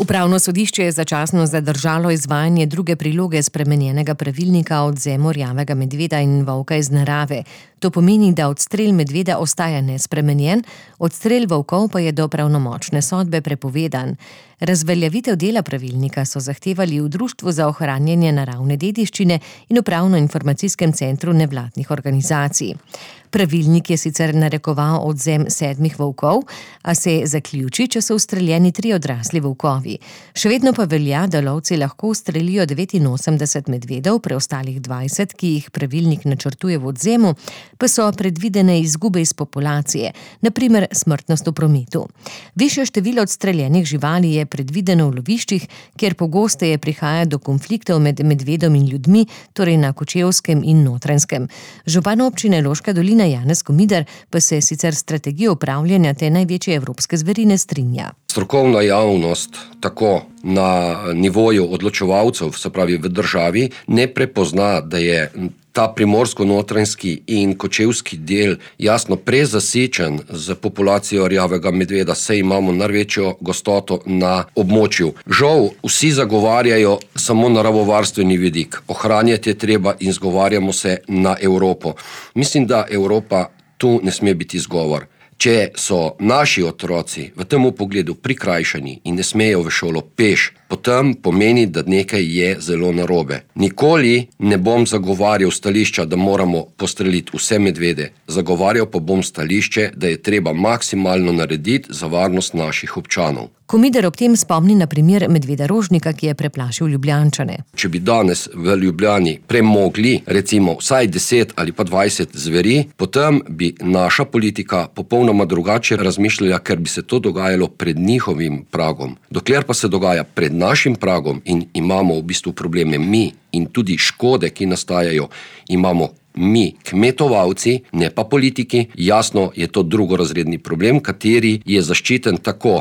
Upravno sodišče je začasno zadržalo izvajanje druge priloge spremenjenega pravilnika o odvzemu rjavega medveda in volka iz narave. To pomeni, da odstrel medveda ostaja nespremenjen, odstrel volkov pa je do pravnomočne sodbe prepovedan. Razveljavitev dela pravilnika so zahtevali v Društvu za ohranjanje naravne dediščine in Upravno-informacijskem centru nevladnih organizacij. Pravilnik je sicer narekoval odvzem 7 volkov, a se zaključi, če so ustreljeni 3 odrasli volkovi. Še vedno pa velja, da lovci lahko ustrelijo 89 medvedov, preostalih 20, ki jih pravilnik načrtuje v odvzemu, pa so predvidene izgube iz populacije, na primer smrtnost v prometu. Višje število odstreljenih živali je predvideno v loviščih, kjer pogosteje prihaja do konfliktov med medvedom in ljudmi, torej na Kočevskem in Notranjskem. Župan občine Loška dolina Janez Komider pa se sicer strategijo upravljanja te največje evropske zverine strinja. Strokovna javnost tako na nivoju odločevalcev, se pravi v državi, ne prepozna, da je ta primorsko-notranjski in kočevski del jasno prezasičen z populacijo rjavega medveda, saj imamo največjo gostoto na območju. Žal, vsi zagovarjajo samo naravovarstveni vidik. Ohranjati je treba in zgovarjamo se na Evropo. Mislim, da Evropa tu ne sme biti izgovor. Če so naši otroci v tem pogledu prikrajšani in ne smejo v šolo peš, potem pomeni, da nekaj je zelo narobe. Nikoli ne bom zagovarjal stališča, da moramo postreliti vse medvede. Zagovarjal pa bom stališče, da je treba maksimalno narediti za varnost naših občanov. Komider ob tem spomni na primer medveda Rožnika, ki je preplašil Ljubljančane. Če bi danes v Ljubljani premogli recimo vsaj 10 ali pa 20 zveri, potem bi naša politika popolnoma drugače razmišljala, ker bi se to dogajalo pred njihovim pragom. Dokler pa se dogaja pred našim pragom in imamo v bistvu probleme mi in tudi škode, ki nastajajo, imamo mi, kmetovalci, ne pa politiki. Jasno je to drugorazredni problem, kateri je zaščiten tako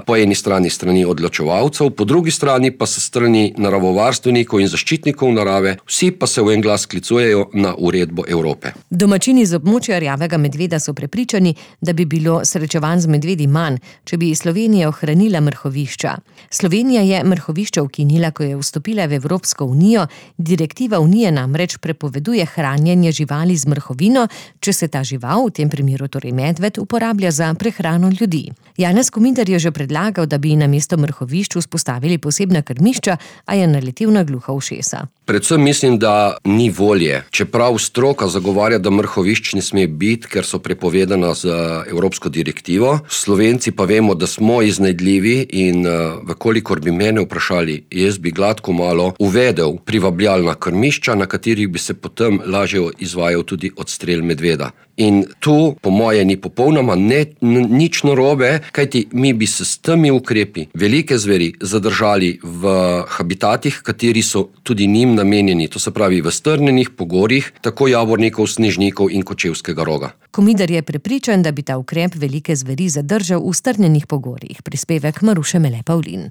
po eni strani odločevalcev, po drugi strani pa s strani naravovarstvenikov in zaščitnikov narave, vsi pa se v en glas sklicujejo na uredbo Evrope. Domačini z območja rjavega medveda so prepričani, da bi bilo srečevanj z medvedi manj, če bi Slovenija ohranila mrhovišča. Slovenija je mrhovišča ukinila, ko je vstopila v Evropsko unijo. Direktiva unije namreč prepoveduje hranjenje živali z mrhovino, če se ta žival, v tem primeru torej medved, uporablja za prehrano ljudi. Janez Komider je že predlagal, da bi namesto mrhovišč vzpostavili posebna krmišča, a je naletel na gluha ušesa. Predvsem mislim, da ni volje. Čeprav stroka zagovarja, da mrhovišč ne sme biti, ker so prepovedana z evropsko direktivo, Slovenci pa vemo, da smo iznajdljivi in vkolikor bi mene vprašali, jaz bi gladko malo uvedel privabljalna krmišča, na katerih bi se potem lažje izvajal tudi odstrel medveda. In tu, po moje, ni popolnoma nič narobe, kajti mi bi se s temi ukrepi velike zveri zadržali v habitatih, kateri so tudi njim namenjeni, to se pravi v strnjenih pogorjih, tako javornikov, snežnikov in Kočevskega roga. Komider je prepričan, da bi ta ukrep velike zveri zadržal v strnjenih pogorjih. Prispevek Maruše Mele Pavlin.